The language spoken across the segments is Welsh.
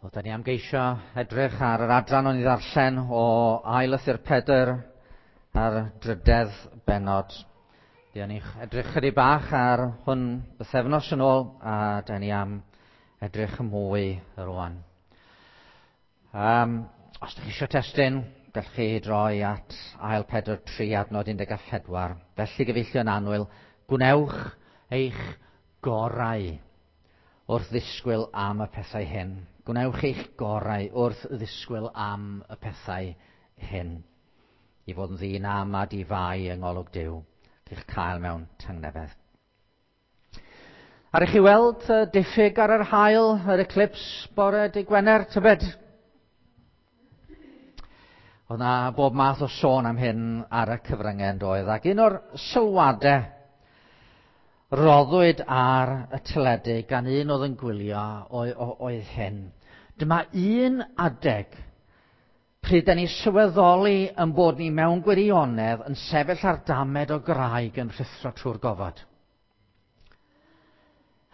Wel, da ni am geisio edrych ar yr adran o'n i ddarllen o ail lythyr Pedr ar drydedd bennod. Fuon ni edrych chydig bach ar hwn bythefnos yn ôl, a da ni am edrych mwy rwan. Os ydych chi eisiau testun, gallwch chi droi at ail Pedr 3 adnod 14. Felly gyfeillion annwyl, gwnewch eich gorau wrth ddisgwyl am y pethau hyn. Gwnewch eich gorau wrth ddisgwyl am y pethau hyn. I fod yn ddyn am a di-fai yng ngolwg Duw, i'ch cael mewn tangnefedd. Ar i chi weld diffyg ar yr haul, yr eclipse bore dy Gwener, tybed? Oedd na bob math o sôn am hyn ar y cyfryngau yn doedd, ac un o'r sylwadau roddwyd ar y teledu gan un oedd yn gwylio oedd hyn. Dyma un adeg pryd da ni sylweddoli yn bod ni mewn gwirionedd yn sefyll ar damed o graig yn rhuthro trwy'r gofod.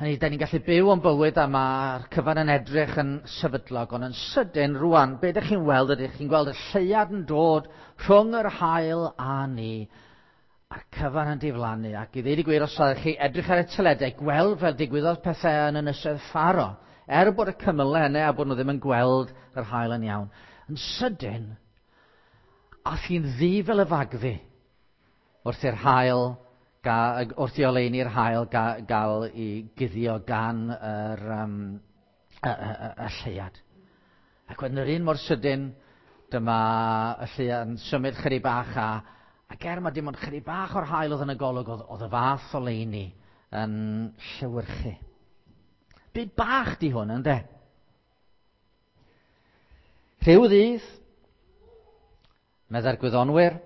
Hynny, da ni'n gallu byw o'n bywyd a mae'r cyfan yn edrych yn sefydlog, ond yn sydyn rwan, be ydych chi'n weld? Ydych chi'n gweld y lleuad yn dod rhwng yr haul a ni, a'r cyfan yn diflannu. Ac i ddweud y gwir, os ydych chi edrych ar y teledu, gweld fel digwyddodd pethau yn Ynysoedd Ffaro, er bod y cymylau yna a bod nhw ddim yn gweld yr haul yn iawn. Yn sydyn, ath hi'n ddu fel y fagddu wrth i'r haul wrth i oleuni'r haul gael ei guddio gan yr, y, y, y, y lleuad. Ac wedyn yr un mor sydyn, dyma y lleuad yn symud chydig bach ac er mae dim ond chydig bach o'r haul oedd yn y golwg, oedd y fath oleuni yn llewyrchu. Byd bach di hwn, ynde? Rhyw ddydd, meddai'r gwyddonwyr,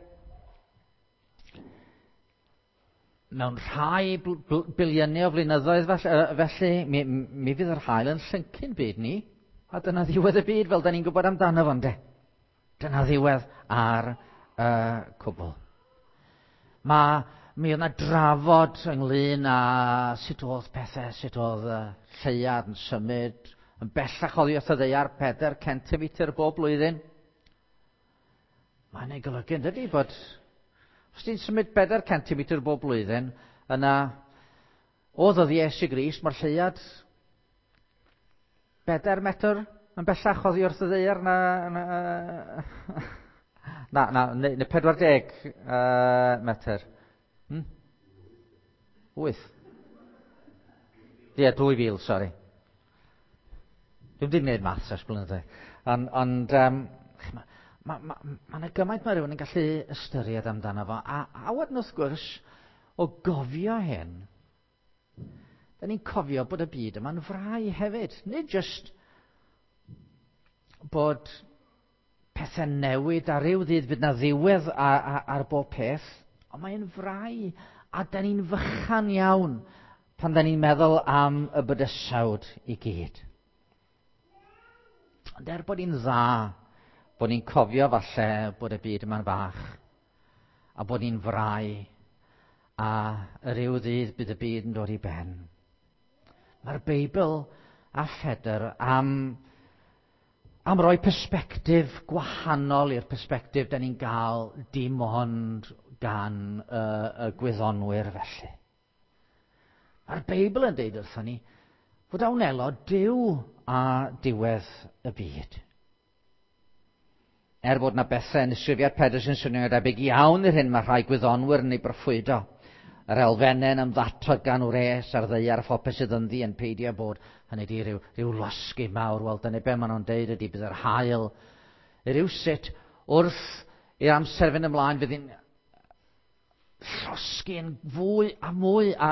mewn rhai biliynau o flynyddoedd felly, mi fydd yr haul yn llyncu'n byd ni, a dyna ddiwedd y byd fel da ni'n gwybod amdano fo, ynde? Dyna ddiwedd ar y cwbl. Mi oedd yna drafod ynglyn â sut oedd pethau, sut oedd y lleuad yn symud yn bellach oddi wrth y ddaear 4 centimetr bob blwyddyn. Mae'n ei golygu, yn dydi, bod os ti'n symud 4 centimetr bob blwyddyn, yna o ddyddiau Iesu Grist, mae'r lleuad 4 metr yn bellach oddi wrth y ddaear na, neu 40 metr. 8. Ie, 2000, sori. Dwi'm 'di gwneud maths ers blynyddoedd. Ond ma yna gymaint mae rhywun yn gallu ystyried amdano fo. A wedyn wrth gwrs, o gofio hyn, da ni'n cofio bod y byd yma'n frau hefyd. Nid jyst bod pethau'n newid a rhyw ddydd bydd na ddiwedd ar bob peth, ond mae'n frau a da ni'n fychan iawn pan da ni'n meddwl am y bydysawd i gyd. Ond er bod ni'n dda, bod ni'n cofio falle bod y byd yma'n fach, a bod ni'n frau, a ryw ddydd bydd y byd yn dod i ben. Mae'r Beibl a Phedr am roi persbectif gwahanol i'r persbectif da ni'n gael dim ond gan y gwyddonwyr felly. Mae'r Beibl yn deud wrthon ni fod a wnelo Duw a diwedd y byd. Er bod na bethau yn ysgrifiad Pedr sy'n swnio'n debyg iawn i'r hyn mae rhai gwyddonwyr yn ei broffwydo. Yr elfennau'n ymddatod gan wres ar ddaear a phopeth sydd ynddi yn peidio bod, hynny ydi rhyw losgi mawr. Wel, dyna be maen nhw'n deud ydi bydd yr haul rywsut wrth i'r amser fynd ymlaen fydd hi'n llosgi'n fwy a mwy a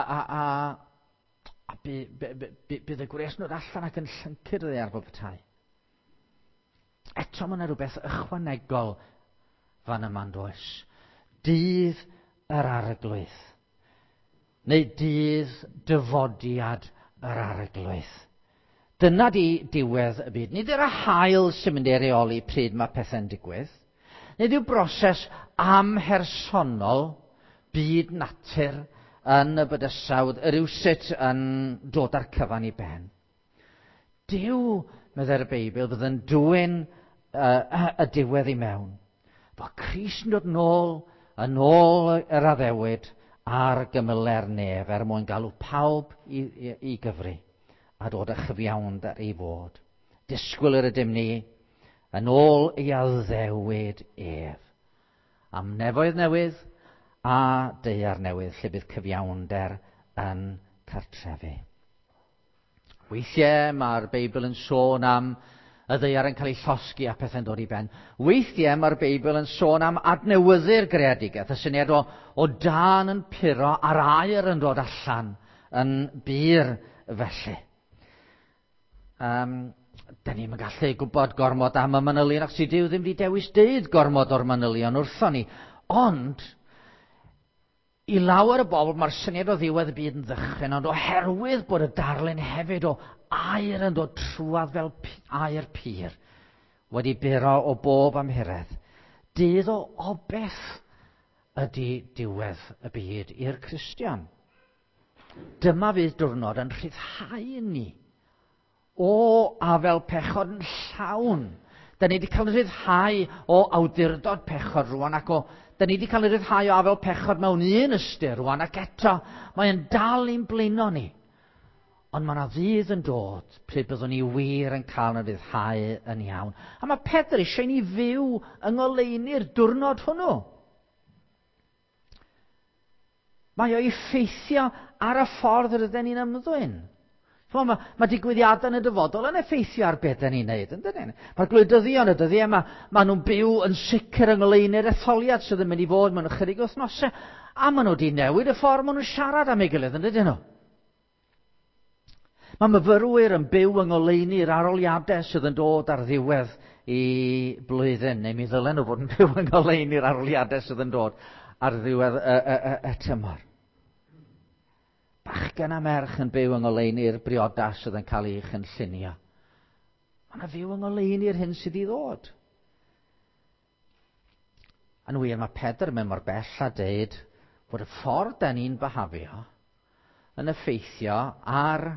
bydd y gwres yn dod allan ac yn llyncu'r ddaear fel petai. Eto mae yna rhywbeth ychwanegol fan yma'n does. Dydd yr Arglwydd. Neu dydd dyfodiad yr Arglwydd. Dyna di diwedd y byd. Nid yw'r haul sy'n mynd i reoli pryd mae pethau'n digwydd. Nid yw broses amhersonol byd natur yn y bydysawd rywsut yn dod â'r cyfan i ben. Duw meddai'r Beibl, fydd yn dwyn y diwedd i mewn. Fod Crist yn dod nôl, yn ôl yr addewid ar gymyle'r nef er mwyn galw pawb i gyfri a dod â chyfiawnder i fod. Disgwyl yr ydym ni yn ôl ei addewid ef. Am nefoedd newydd a daear newydd lle bydd cyfiawnder yn cartrefu. Weithiau mae'r Beibl yn sôn am y ddaear yn cael ei llosgi a pethau'n dod i ben. Weithiau mae'r Beibl yn sôn am adnewyddu'r greadigaeth, y syniad o dân yn puro a'r aer yn dod allan yn bur felly. Da ni'm yn gallu gwybod gormod am y manylion, achos Duw ddim wedi dewis deud gormod o'r manylion wrthon ni. Ond, i lawer o bobl, mae'r syniad o ddiwedd y byd yn ddychryn, ond oherwydd bod y darlun hefyd o aer yn dod trwadd fel aer pur, wedi buro o bob amhuredd, dydd o obeth ydy diwedd y byd i'r Cristion. Dyma fydd diwrnod yn rhyddhau ni o afel pechod yn llawn. Da ni wedi cael ein rhyddhau o awdurdod pechod rwan, ac da ni wedi cael ein rhyddhau o afel pechod mewn un ystyr rwan, ac eto mae'n dal i'n blino ni. Ond mae yna ddydd yn dod pryd byddwn ni wir yn cael ein rhyddhau yn iawn. A mae Pedr eisiau ni fyw yng ngoleuni'r diwrnod hwnnw. Mae o effeithio ar y ffordd rydyn ni'n ymddwyn. Mae digwyddiadau yn y dyfodol yn effeithio ar beth ni'n neud, yn dydyn? Mae'r gwleidyddion y dyddiau yma, maen nhw'n byw yn sicr yng ngoleuni'r etholiad sydd yn mynd i fod mewn ychydig wythnosau, a maen nhw wedi newid y ffordd maen nhw'n siarad am ei gilydd, yn dydyn nhw? Mae myfyrwyr yn byw yng ngoleuni'r arholiadau sydd yn dod ar ddiwedd i blwyddyn, neu mi ddylen nhw fod yn byw yng ngoleuni'r arholiadau sydd yn dod ar ddiwedd y tymor. Bachgen a merch yn byw yng ngoleuni'r briodas sydd yn cael ei chynllunio. Mae yna fyw yng ngoleuni'r hyn sydd i ddod. Yn wir, mae Pedr yn mynd mor bell a deud bod y ffordd da ni'n byhafio yn effeithio ar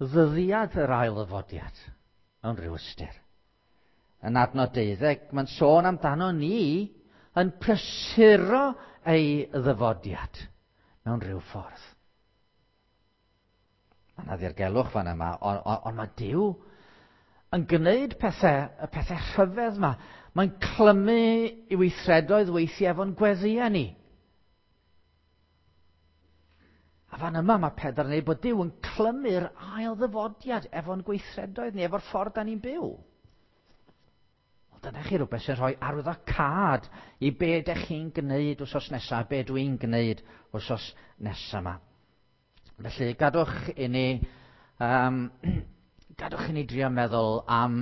ddyddiad yr ail ddyfodiad mewn rhyw ystyr. Yn adnod 12, mae'n sôn amdano ni yn prysuro ei ddyfodiad mewn rhyw ffordd. Mae yna ddirgelwch fan yma, ond mae Duw yn gwneud pethau, y pethau rhyfedd yma. Mae'n clymu i weithredoedd weithiau efo'n gweddïau ni. A fan yma mae Pedr yn dweud bod Duw yn clymu'r ail ddyfodiad efo'n gweithredoedd ni, efo'r ffordd da ni'n byw. Ond dyna chi rhywbeth sy'n rhoi arwyddocâd i be ydych chi'n gwneud wythnos nesaf, be dwi'n gwneud wythnos nesaf yma. Felly, gadwch i ni drio meddwl am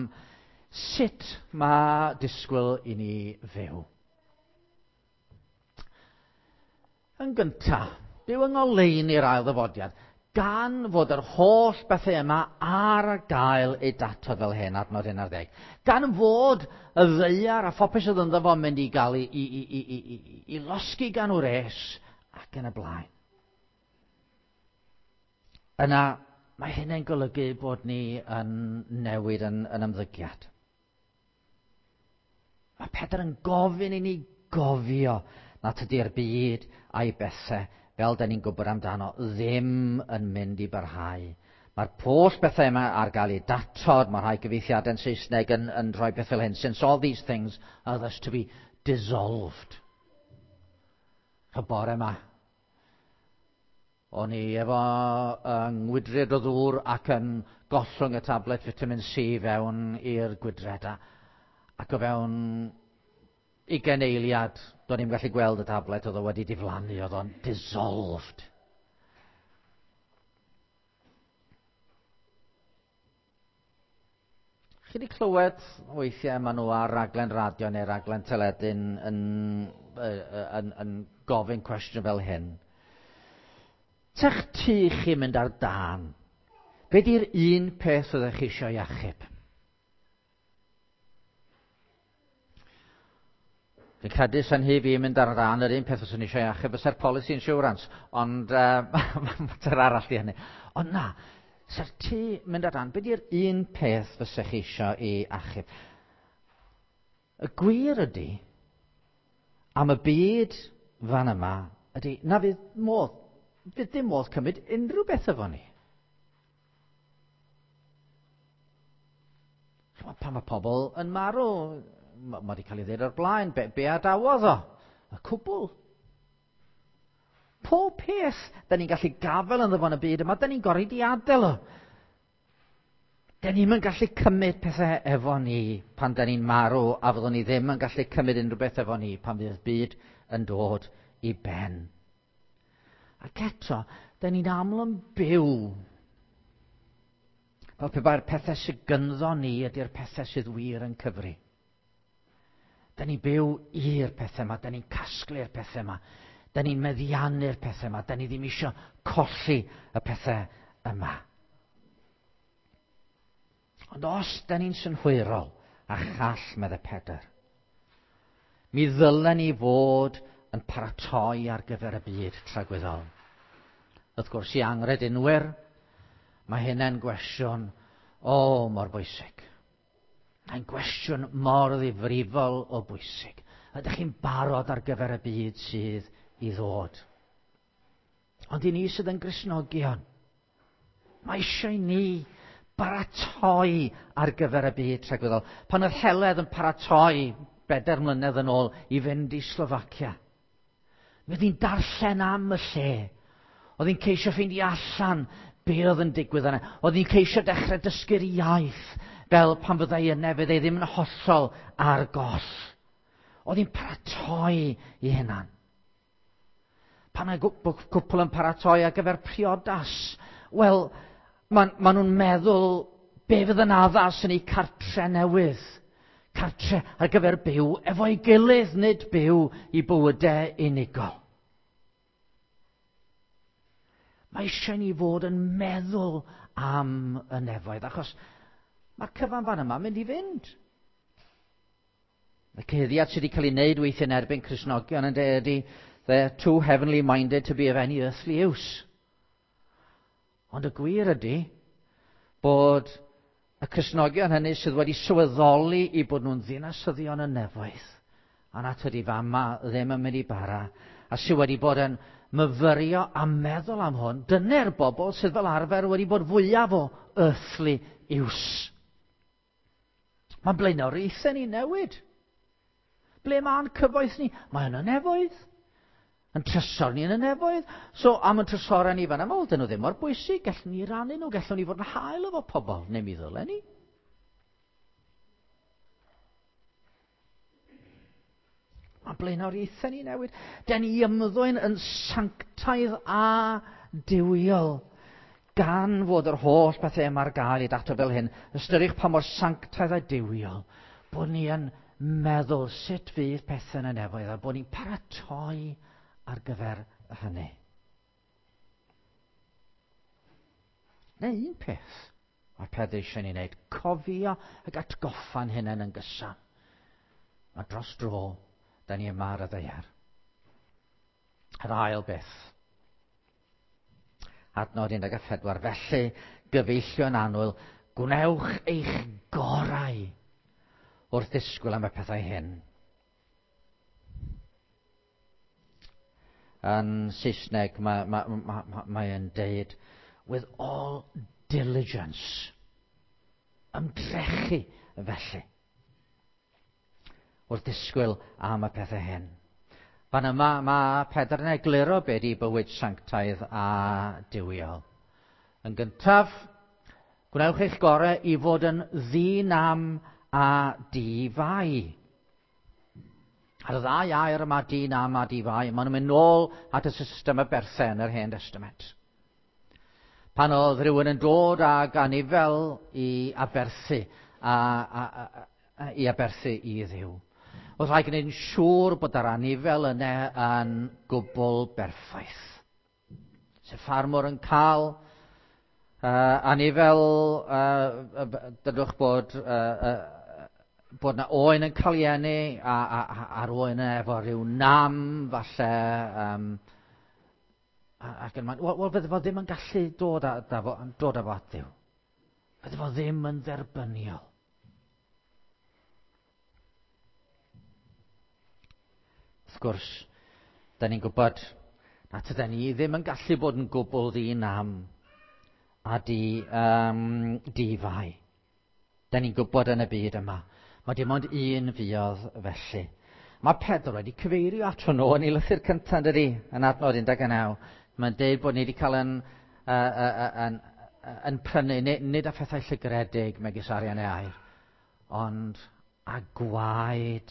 sut mae disgwyl i ni fyw. Yn gyntaf, byw yng ngoleuni'r ail ddyfodiad, gan fod yr holl bethau yma ar gael eu datod fel hyn, adnod 11. Gan fod y ddaear a phopeth sydd ynddo fo'n mynd i gael i losgi gan wres ac yn y blaen. Yna, mae hynny'n golygu bod ni yn newid yn ymddygiad. Mae Pedr yn gofyn i ni gofio nad ydy'r byd a'i bethau, fel da ni'n gwybod amdano, ddim yn mynd i barhau. Mae'r holl bethau yma ar gael eu datod, mae rhai gyfieithiadau'n Saesneg yn rhoi beth fel hyn, since all these things are thus to be dissolved. Y bore yma, o'n i efo ngwydred o ddŵr ac yn gollwng y tablet vitamin C fewn i'r gwydred. Ac o fewn 20 eiliad, do'n i'm gallu gweld y tablet, oedd o wedi diflannu, oedd o'n dissolved. Chi wedi clywed weithiau maen nhw ar raglen radio neu raglen teledu yn gofyn cwestiwn fel hyn. Tech ti chi mynd ar dân, be di'r un peth oeddech chi eisiau achub? Fi'n credu sy'n hi fi mynd ar dân, yr un peth oeddwn eisiau achub fysa'r policy insurance, ond mater arall di hynny. Ond na, Sa'r tŷ mynd ar dan, be di'r un peth fysech chi eisiau i achub? Y gwir ydy, am y byd fan yma, ydy na fydd modd, fydd dim modd cymryd unrhyw beth efo ni. Pan mae pobl yn marw, mae wedi cael ei ddweud o'r blaen, be adawodd o? Y cwbl. Pob peth da ni'n gallu gafael ynddo fo yn y byd yma, da ni'n gorfod i adael o. Da ni'm yn gallu cymryd pethau efo ni pan da ni'n marw, a fyddwn ni ddim yn gallu cymryd unrhyw beth efo ni pan fydd byd yn dod i ben. Ac eto, da ni'n aml yn byw fel pe bai'r pethau sydd gynddo ni ydy'r pethau sydd wir yn cyfri. Da ni'n byw i'r pethau yma, da ni'n casglu'r pethau yma, da ni'n meddiannu'r pethau yma, da ni ddim eisiau colli y pethau yma. Ond os da ni'n synhwyrol a chall, medde Pedr, mi ddylen ni fod yn paratoi ar gyfer y byd tragwyddol. Wrth gwrs, i anghredinwyr, mae hynna'n gwestiwn, o, mor bwysig. Mae'n gwestiwn mor ddifrifol o bwysig. Ydych chi'n barod ar gyfer y byd sydd i ddod? Ond i ni sydd yn Gristnogion, mae eisiau ni baratoi ar gyfer y byd tragwyddol. Pan oedd Heledd yn paratoi 4 mlynedd yn ôl i fynd i Slofacia, mi oedd hi'n darllen am y lle. Oedd hi'n ceisio ffeindio allan be oedd yn digwydd yna. Oedd hi'n ceisio dechrau dysgu'r iaith, fel pan fyddai yna, fyddai ddim yn hollol ar goll. Oedd hi'n paratoi i hunan. Pan mae cwpl yn paratoi ar gyfer priodas, wel, ma nhw'n meddwl be fydd yn addas yn eu cartre newydd. Cartre ar gyfer byw efo'i gilydd, nid byw i bywydau unigol. Mae eisiau ni fod yn meddwl am y nefoedd, achos mae'r cyfan fan yma mynd i fynd. Y cyhuddiad sydd wedi cael ei wneud weithiau yn erbyn Cristnogion yn dweud ydy, they're too heavenly minded to be of any earthly use. Ond y gwir ydy bod y Cristnogion hynny sydd wedi sylweddoli i bod nhw'n ddinasyddion y nefoedd, a na tydi fama ddim yn mynd i bara, a sydd wedi bod yn myfyrio a meddwl am hwn, dyna'r bobl sydd fel arfer wedi bod fwyaf o earthly use. Mae'n blaenoriaethau ni newid. Ble mae'n cyfoeth ni? Mae yn y nefoedd. Yn trysor ni yn y nefoedd. So, am y trysorau ni fan yma, wel, dyn nhw ddim mor bwysig. Gallwn ni rannu nhw, gallwn ni fod yn hael efo pobl, neu mi ddylen ni. Mae blaenoriaethau ni newid. Den ni ymddwyn yn sanctaidd a duwiol. Gan fod yr holl bethau yma ar gael i dato fel hyn, ystyriwch pa mor sanctaidd a duwiol bod ni yn meddwl sut fydd pethau yn y nefoedd a bod ni'n paratoi ar gyfer hynny. Neu un peth mae Pedr eisiau ni wneud, cofio ac atgoffa'n hunain yn gyson. Mae dros dro, da ni yma ar y ddaear. Yr ail beth. Adnod 14. Felly, gyfeillion annwyl, gwnewch eich gorau wrth ddisgwyl am y pethau hyn. Yn Saesneg, mae'n deud, with all diligence. Ymdrechu felly. Wrth ddisgwyl am y pethau hyn. Fan yma mae Pedr yn egluro be di bywyd sanctaidd a duwiol. Yn gyntaf, gwnewch eich gorau i fod yn ddinam a difai. Ar y ddau air yma, dinam a difai, maen nhw'n mynd nôl at y system y berthau yn yr Hen Testament. Pan oedd rhywun yn dod ag anifel i aberthu, i aberthu i Dduw. Oedd rhaid gwneud yn siŵr bod yr anifel yna yn gwbl berffaith. Se ffarmwr yn cael anifel, dydwch bod na oen yn cael ei eni, a'r oen yna efo rhyw nam, falle, Ac yn wel, fydde fo ddim yn gallu dod â, da fo, dod â fo at Dduw. Fydde fo ddim yn dderbyniol. Wrth gwrs, da ni'n gwybod na tyda ni ddim yn gallu bod yn gwbl ddi-nam a di-fai. Da ni'n gwybod yn y byd yma. Mae dim ond un fuodd felly. Mae Pedr wedi cyfeirio ato nhw yn ei lythyr cyntaf, yn dydi, yn adnod 19. Mae'n deud bod ni wedi cael yn prynu, nid â phethau llygredig megis arian neu aur, ond â gwaed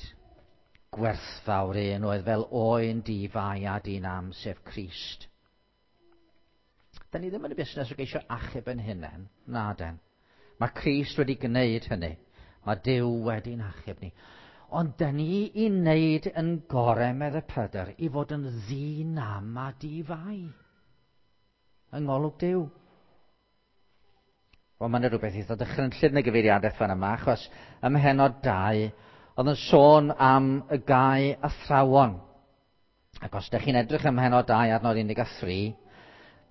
gwerthfawr un oedd fel oen di-fai a di-nam, sef Crist. Da ni ddim yn y busnes o geisio achub yn hunain, na den. Mae Crist wedi gwneud hynny. Mae Duw wedi'n achub ni. Ond da ni i wneud yn gorau, medde Pedr, i fod yn ddi-nam a di-fai. Yng ngolwg Duw. Wel, mae'n rhywbeth eitha dychrynllyd yn y gyfeiriadaeth fan yma, achos ym mhennod 2, oedd yn sôn am y gau athrawon. Ac os ydych chi'n edrych ym mhennod 2 adnod 13,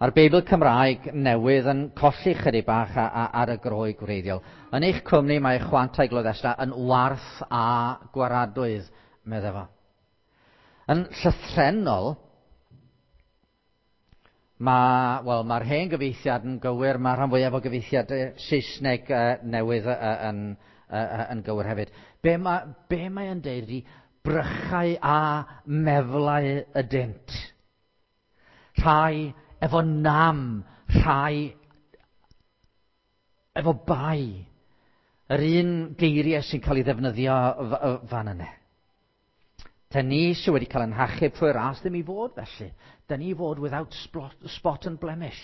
mae'r Beibl Cymraeg newydd yn colli chydig bach ar y Groeg gwreiddiol. Yn eich cwmni mae chwantau gloddesta yn warth a gwaradwydd, medde fo. Yn llythrennol, wel, mae'r hen gyfieithiad yn gywir, mae rhan fwyaf o gyfieithiad Saesneg newydd yn gywir hefyd. Be mae yn deud ydy brychau a meflau ydynt. Rhai efo nam, rhai efo bai. Yr un geiriau sy'n cael ei ddefnyddio fan yna. Da ni sydd wedi cael ein hachub trwy ras ddim i fod felly. Da ni i fod without spot and blemish.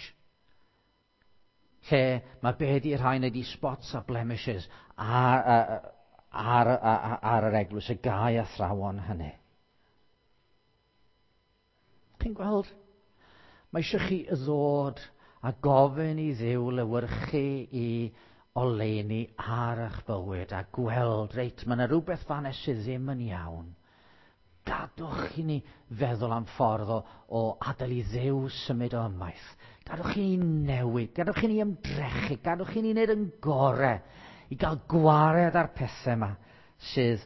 Lle mae be di rhain ydi spots a blemishes ar yr eglwys, y gau athrawon hynny. Chi'n gweld? Mae eisiau chi ddod a gofyn i Dduw lewyrchu i oleuni ar eich bywyd a gweld, reit, mae yna rhywbeth fan sydd ddim yn iawn. Gadwch i ni feddwl am ffordd o adael i Dduw symud o ymaith. Gadwch i ni newid, gadwch i ni ymdrechu, gadwch i ni wneud yn gorau i gael gwared ar pethau yma sydd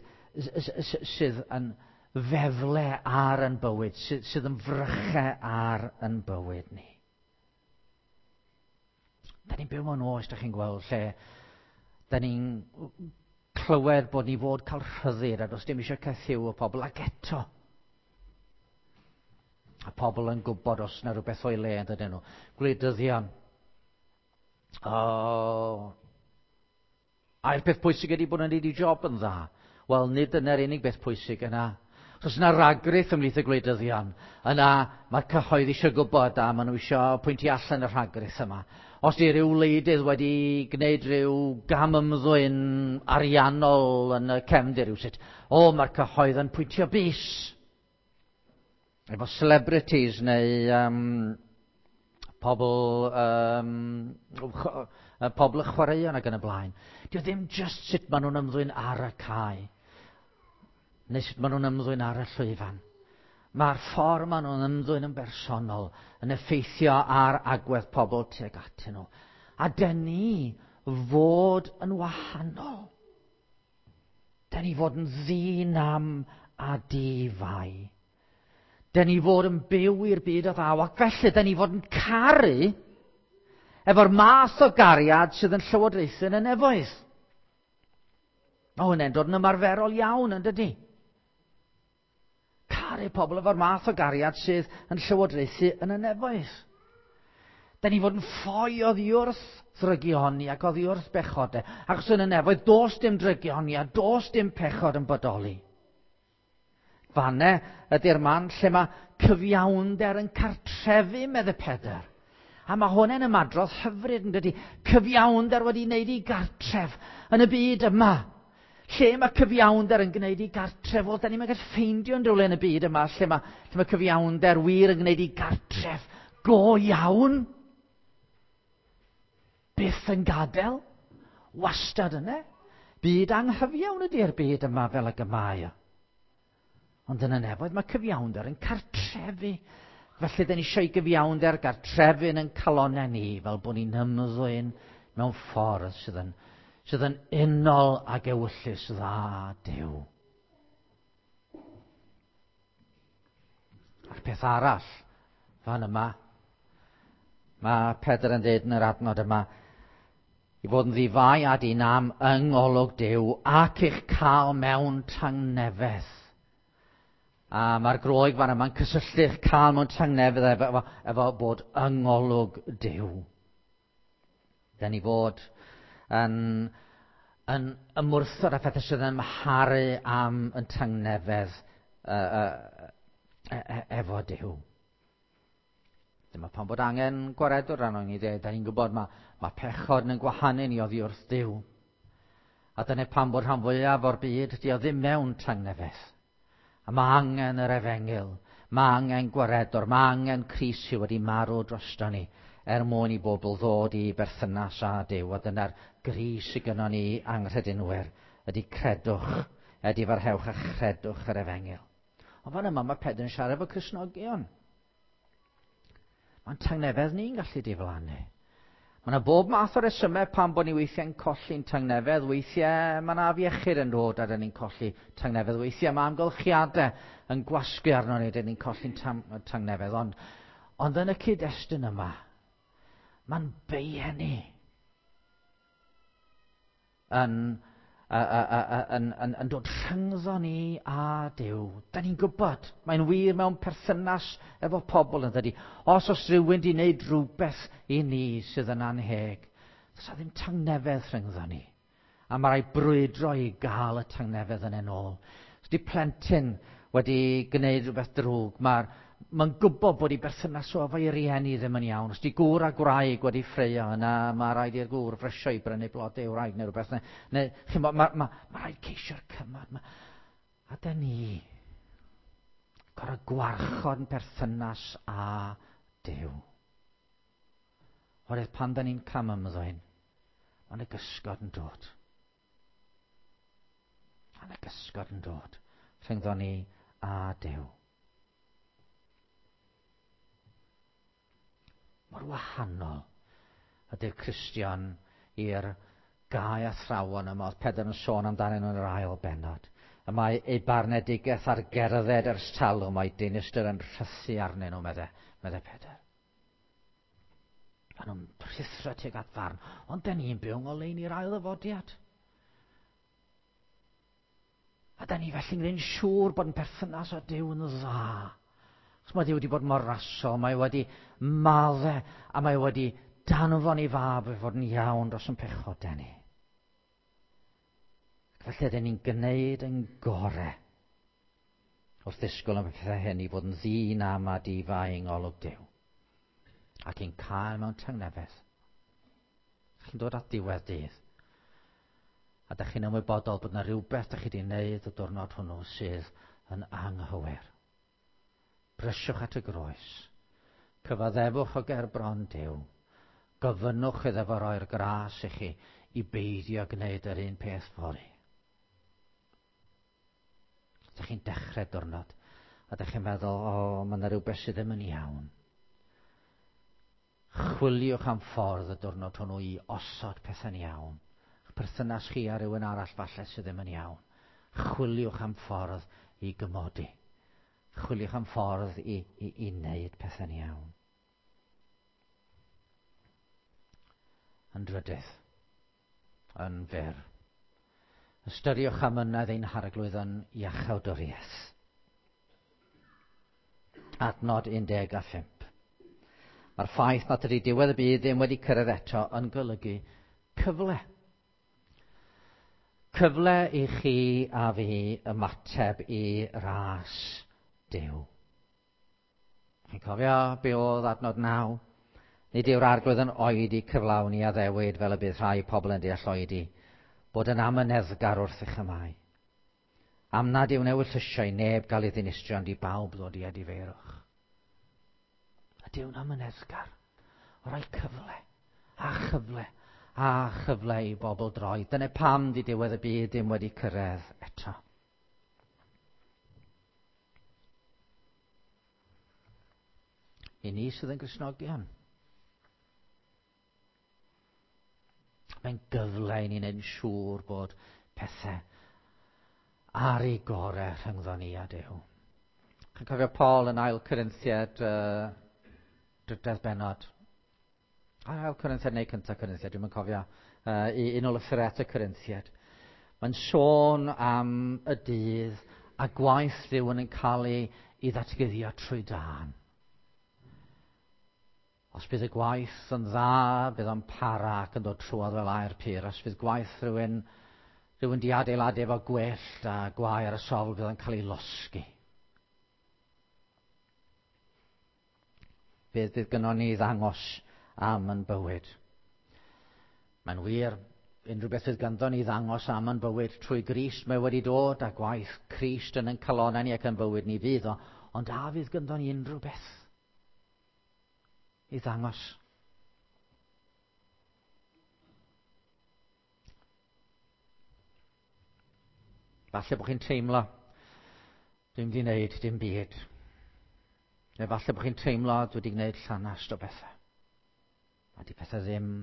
yn fefle ar yn bywyd, sydd yn frychau ar yn bywyd ni. Da ni'n byw mewn oes, da chi'n gweld, lle da ni'n clywed bod ni fod cael rhyddid a does dim eisiau caethiwo pobl, ac eto. A pobl yn gwybod os yna rhywbeth o'i le yn dydyn nhw. Gwleidyddion. Oh. A'r peth pwysig ydy bod nhw'n neud eu job yn dda. Wel, nid dyna'r unig beth pwysig yna. Os yna ragrith ymhlith y gwleidyddion, yna mae'r cyhoedd eisiau gwybod a maen nhw eisiau pwyntio allan y rhagrith yma. Os di rhyw wleidydd wedi gwneud rhyw gam ymddwyn ariannol yn y cefndir rhywsut, o, mae'r cyhoedd yn pwyntio bys. Efo celebrities neu pobl y chwaraeon ac yn y blaen. Dio ddim just sut maen nhw'n ymddwyn ar y cae, neu sut maen nhw'n ymddwyn ar y llwyfan. Mae'r ffordd maen nhw'n ymddwyn yn bersonol yn effeithio ar agwedd pobl tuag atyn nhw. A dyn ni fod yn wahanol. Dyn ni fod yn ddi-nam a di-fai. Dyn ni fod yn byw i'r byd o ddaw, ac felly dyn ni fod yn caru efo'r math o gariad sydd yn llywodraethu yn y nefoedd. Mae hwnna'n dod yn ymarferol iawn, yn dydy? Caru pobl efo'r math o gariad sydd yn llywodraethu yn y nefoedd. Da ni fod yn ffoi oddi wrth ddrygioni ac oddi wrth bechodau. Achos yn y nefoedd, does dim drygioni a does dim pechod yn bodoli. Fanne ydy'r man lle mae cyfiawnder yn cartrefu, medde Pedr. A mae hwn yn ymadrodd hyfryd, yn dydy. Cyfiawnder wedi wneud i gartref yn y byd yma. Lle mae cyfiawnder yn gwneud i gartref? Wel, da ni'n gallu ffeindio yn rhywle yn y byd yma lle mae cyfiawnder wir yn gwneud i gartref go iawn. Byth yn gadael. Wastad yna. Byd anghyfiawn ydy'r byd yma fel ag y mae o. Ond yn y nefoedd mae cyfiawnder yn cartrefu. Felly, dyn ni eisiau gyfiawnder gartrefyn yn calonau ni, fel bod ni'n ymddwyn mewn ffordd sydd yn unol ag ewyllys dda Duw. A'r peth arall fan yma, mae Pedr yn dweud yn yr adnod yma, i fod yn ddifai a dinam yng ngolwg Duw ac eich cael mewn tangnefedd. A mae'r Groeg fan yma'n cysylltu'ch cael mewn tangnefedd efo bod yng ngolwg Duw. Dyn ni fod yn ymwrthod â phethau sydd yn ymharu am yn tangnefedd efo Duw. Dyma pam bod angen gwaredwr arno ni. Da ni'n gwybod mae pechod yn gwahanu ni oddi wrth Duw. A dyna pam bod rhan fwyaf o'r byd di o ddim mewn tangnefedd. A mae angen yr efengyl, mae angen gwaredwr, mae angen Crist sydd wedi marw drosto ni er mwyn i bobl ddod i berthynas â Duw. A dyna'r gris sydd gynnon ni anghredinwyr, ydy credwch, ydy farhewch a chredwch yr efengyl. Ond fan yma mae Pedr yn siarad efo Cristnogion. Mae'n tangnefedd ni'n gallu diflannu. Mae yna bob math o resymau pam bod ni weithiau'n colli'n tangnefedd. Weithiau mae yna afiechyd yn dod a dyn ni'n colli tangnefedd. Weithiau mae amgylchiadau yn gwasgu arno ni, dyn ni'n colli'n tangnefedd. Ond yn y cyd-destun yma, mae'n beie ni yn dod rhyngddo ni a Duw. Da ni'n gwybod, mae'n wir mewn perthynas efo pobl yn dydi. Os oes rhywun wedi wneud rhywbeth i ni sydd yn anheg, does 'na ddim tangnefedd rhyngddo ni. A mae rhaid brwydro i gael y tangnefedd yn ôl. Os di plentyn wedi gwneud rhywbeth drwg, mae'n gwybod bod ei berthynas o efo'i rieni ddim yn iawn. Os di gŵr a gwraig wedi ffraeo yna, mae rhaid i'r gŵr frysio i brynu blodau i'w wraig neu rhywbeth. Neu, chi'n bod, ma rhaid ceisio'r cymod. A dyn ni gorfod gwarchod yn perthynas â Duw. Oherwydd pan dyn ni'n cam ymddwyn, mae'n y gysgod yn dod. Mae'n y gysgod yn dod rhyngddo ni a Duw. Mor wahanol ydy'r Cristion i'r gau athrawon yma oedd Pedr yn sôn amdanyn nhw yn yr ail bennod. Y mae eu barnedigaeth ar gerdded ers talwm, mae dinistr yn rhythu arnyn nhw, medde Pedr. Maen nhw'n rhuthro tuag at farn, ond dyn ni'n byw yng ngoleuni'r ail ddyfodiad. A dyn ni felly'n gwneud yn siŵr bod yn perthynas â Duw yn dda. Achos mae Duw wedi bod mor rasol, mae wedi madde a mae wedi danfon ei fab i fod yn iawn dros yn pechodau ni. Ac felly dyn ni'n gwneud yn gore wrth ddisgwyl am y pethau hyn i fod yn ddyn am a difai yng ngolwg Duw. Ac i'n cael mewn tangnefedd. Chi'n dod at diwedd dydd. A dych chi'n ymwybodol bod yna rhywbeth dych chi wedi wneud y diwrnod hwnnw sydd yn anghywir. Brysiwch at y groes. Cyfaddefwch o ger bron Duw. Gofynnwch iddo fo roi'r gras i chi i beidio gwneud yr un peth fory. Dych chi'n dechrau diwrnod a dych chi'n meddwl, o, mae yna rhywbeth sydd ddim yn iawn. Chwiliwch am ffordd y diwrnod hwnnw i osod pethau'n iawn. Perthynas chi a rhywun arall falle sydd ddim yn iawn. Chwiliwch am ffordd i gymodi. Chwiliwch am ffordd i wneud pethau'n iawn. Yn drydydd, yn fyr, ystyriwch amynedd ein harglwydd yn iachawdwriaeth. Adnod 15. Mae'r ffaith nad ydy diwedd y byd ddim wedi cyrraedd eto yn golygu cyfle. Cyfle i chi a fi ymateb i ras Duw. Chi'n cofio be oedd adnod 9? Nid yw'r arglwydd yn oedi cyflawni addewid fel y bydd rhai pobl yn deall oedi, bod yn amyneddgar wrth eich ymau. Am nad yw'n ewyllysio i neb gael ei ddinistrio, ond i bawb ddod i edifeirwch. A Duw'n amyneddgar o roi cyfle, a chyfle, a chyfle i bobl droi. Dyna pam di diwedd y byd ddim wedi cyrraedd eto. I ni sydd yn Gristnogion. Mae'n gyfle i ni wneud yn siŵr bod pethau ar ei gorau rhyngddo ni a Duw. Chi'n cofio Paul yn ail Corinthiad drydedd bennod. Ail Corinthiad neu cyntaf Corinthiad, dwi'm yn cofio. Un o lythyrau at y Corinthiad. Mae'n sôn am y dydd a gwaith rhywun yn cael ei, ei ddatguddio trwy dân. Os bydd y gwaith yn dda, bydd o'n para ac yn dod trwodd fel aer pur. Os bydd gwaith rhywun, rhywun di adeiladu efo gwellt a gwae ar y sofl, bydd o'n cael ei losgi. Beth bydd gynnon ni ddangos am yn bywyd? Mae'n wir, unrhyw beth fydd ganddo ni ddangos am yn bywyd trwy Grist, mae wedi dod a gwaith Crist yn ein calonnau ni ac yn bywyd ni fydd o, ond a fydd ganddo ni unrhyw beth i ddangos? Falle bod chi'n teimlo, dwi'n wedi gwneud dim byd. Neu falle bod chi'n teimlo, dwi wedi gwneud llanast o bethau. A di pethau ddim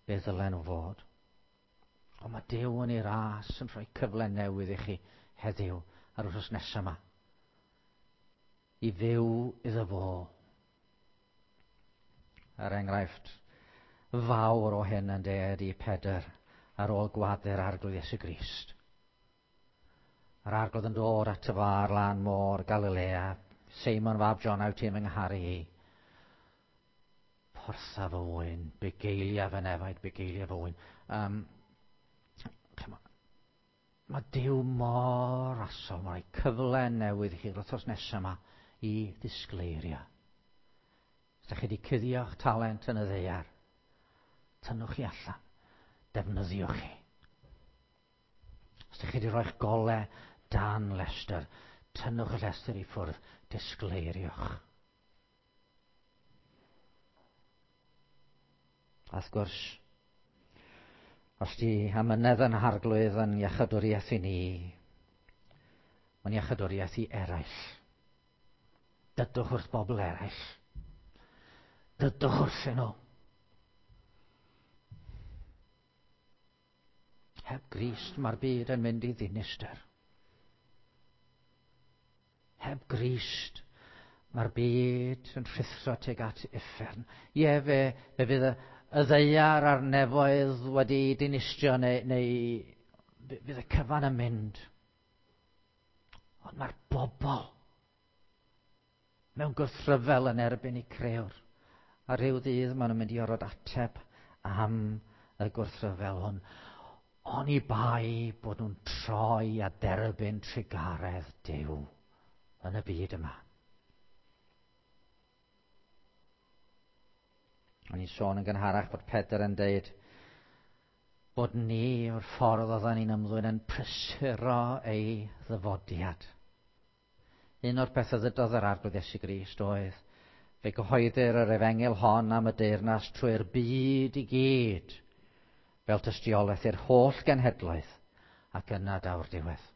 be ddylen nhw fod. Ond mae Duw yn ei ras yn rhoi cyfle newydd i chi heddiw a'r wythnos nesaf yma. I fyw iddo fo. Er enghraifft fawr o hyn yn de ydy Pedr ar ôl gwadu'r Arglwydd Iesu Grist. Yr Arglwydd yn dod ato fo ar lan môr Galilea. Seimon fab John, wyt ti'n fy ngharu i? Portha fy ŵyn, bugeilia fy nefaid, bugeilia fy ŵyn. Mae Duw mor rasol, mae'n rhoi cyfle newydd i chi'r wythnos nesaf yma i ddisgleirio. Os ydych chi wedi cuddio'ch talent yn y ddaear, tynnwch chi allan, defnyddiwch chi. Os ydych chi wedi rhoi'ch gole dan lestr, tynnwch y llestr i ffwrdd, disgleiriwch. A wrth gwrs, os di amynedd yn Harglwydd yn iachadwriaeth i ni, mae'n iachadwriaeth i eraill. Dydwch wrth bobl eraill. Dydwch wrthyn nhw. Heb Grist mae'r byd yn mynd i ddinistr. Heb Grist mae'r byd yn rhuthro tuag at uffern. Ie, fe, fe fydd y, y ddaear a'r nefoedd wedi dinistrio neu, neu fydd y cyfan yn mynd. Ond mae'r bobl mewn gwrthryfel yn erbyn eu crëwr. A rhyw ddydd maen nhw'n mynd i orfod ateb am y gwrthryfel hwn. Oni bai bod nhw'n troi a derbyn trugaredd Duw yn y byd yma. O'n i'n sôn yn gynharach bod Pedr yn deud bod ni o'r ffordd oedden ni'n ymddwyn yn prysuro ei ddyfodiad. Un o'r pethau ddydodd yr Arglwydd Iesu Grist oedd, fe gyhoeddir yr efengyl hon am y deyrnas trwy'r byd i gyd, fel tystiolaeth i'r holl genhedloedd, ac yna daw'r diwedd.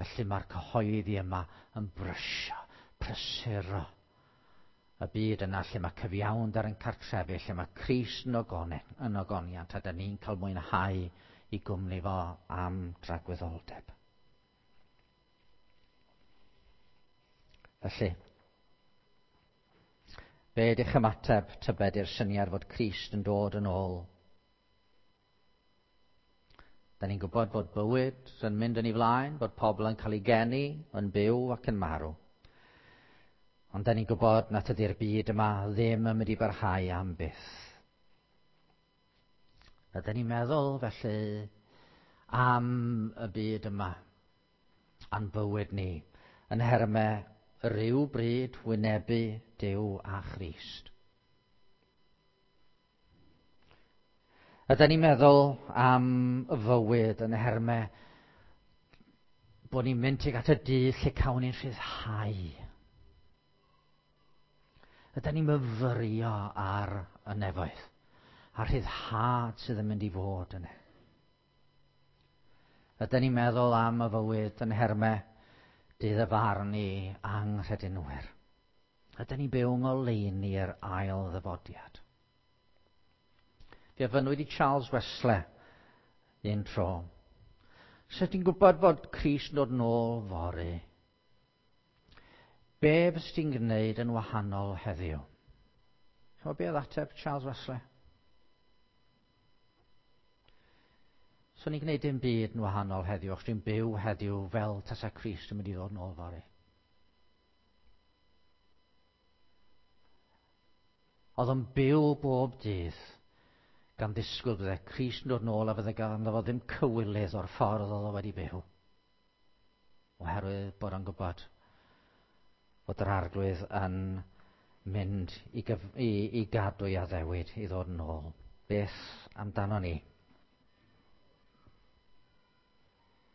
Felly mae'r cyhoeddi yma yn brysio, prysuro y byd yna lle mae cyfiawnder yn cartrefu, lle mae Crist yn yn ogoniant, a da ni'n cael mwynhau i gwmni fo am dragwyddoldeb. Felly, be ydych ymateb tybed i'r syniad fod Crist yn dod yn ôl? Da ni'n gwybod bod bywyd yn mynd yn ei flaen, bod pobl yn cael ei geni, yn byw ac yn marw. Ond da ni'n gwybod nad ydy'r byd yma ddim yn mynd i barhau am byth. Ydyn ni'n meddwl felly am y byd yma, a'n bywyd ni, yn nhermau rhyw bryd wynebu Duw a Christ. Ydyn ni'n meddwl am fywyd yn nhermau bod ni'n mynd tuag at y dydd lle cawn ni'n rhyddhau. Ydyn ni'n myfyrio ar y nefoedd, a'r rhyddhad sydd yn mynd i fod yna. Ydyn ni'n meddwl am y fywyd yn nhermau Dydd y farn i anghredinwyr. Ydyn ni'n byw yng ngoleuni'r ail ddyfodiad? Fe ofynnwyd i Charles Wesley un tro: "Sut ti'n gwybod fod Crist yn dod nôl fory? Be fys ti'n gwneud yn wahanol heddiw?" Chymod be oedd ateb Charles Wesley? "Swn i'n gwneud dim byd yn wahanol heddiw, achos dwi'n byw heddiw fel tasa Crist yn mynd i ddod nôl fory." Oedd o'n byw bob dydd gan ddisgwyl bydde Crist yn dod nôl a fydde ganddo fo ddim cywilydd o'r ffordd oedd o wedi byw. Oherwydd bod o'n gwybod fod yr Arglwydd yn mynd i, gyf i, i gadw ei addewid i ddod yn ôl. Beth amdano ni?